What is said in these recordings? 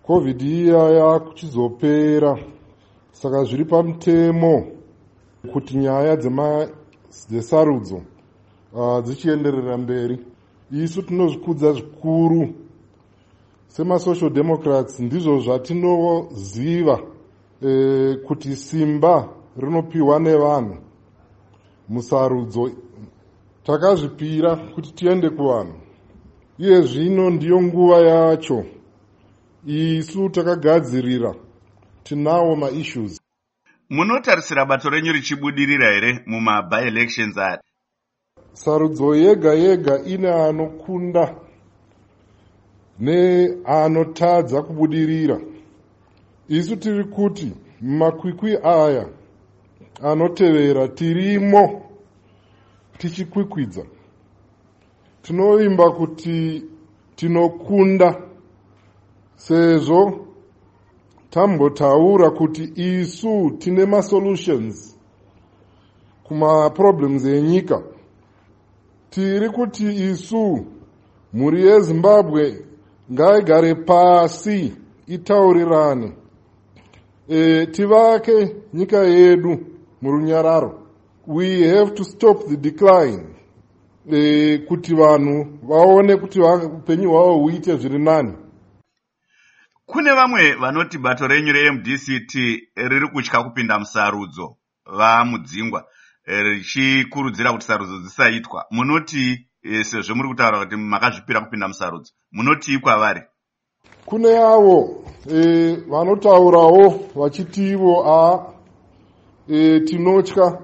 Covid iya yakuchizopera, saka zviri pamutemo kuti nyaya dzesarudzo dzichienderera mberi. Isu tinozvikudza zvikuru semasocial democrats. Ndizvo zvatinoziva kuti simba rinopiwa nevanhu musarudzo. Takazvipira kuti tiende kuvanhu. Iye zvino ndiyo nguva yacho. Isu takagadzirira, tinawo maissues. Munotarisira bato renyu richibudirira here mumaby-elections aya? Sarudzo yega yega ine anokunda neanotadza kubudirira. Isu tiri kuti mumakwikwi aya anotevera tirimo tichikwikwidza. Tinovimba kuti tinokunda, sezvo tambotaura kuti isu tine masolutions kumaproblems enyika. Tiri kuti isu mhuri yeZimbabwe ngaigare pasi, itaurirane, tivake nyika yedu murunyararo. We have to stop the decline, kuti vanhu vaone kuti upenyu hwavo huite zviri nani. Kune vamwe vanoti bato renyu reMDCT riri kutya kupinda musarudzo, VaMudzingwa, richikurudzira kuti sarudzo dzisaitwa. Munoti, sezvo muri kutaura kuti makazvipira kupinda musarudzo, munotii kwavari? Kune avo vanotaurawo vachitivo a tinotya,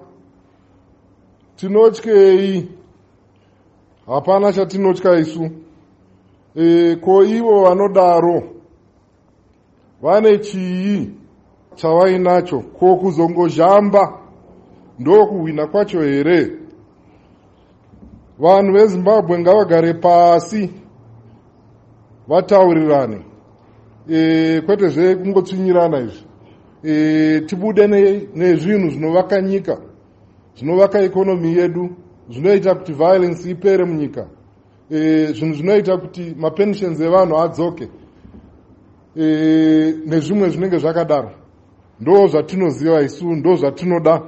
tinotyei? Hapana chatinotya isu. Ko ivo vanodaro vane chii chavainacho? Ko kuzongozhamba ndokuhwina kwacho here? Vanhu veZimbabwe ngavagare pasi vataurirane, kwete zvekungotsvinyirana izvi. Tibude nezvinhu zvinovaka nyika, zvinovaka economy yedu, zvinoita kuti violence ipere munyika, zvinhu zvinoita kuti mapensions evanhu adzoke, nezvimwe zvinenge zvakadaro. Ndo zvatinoziva isu, ndo zvatinoda.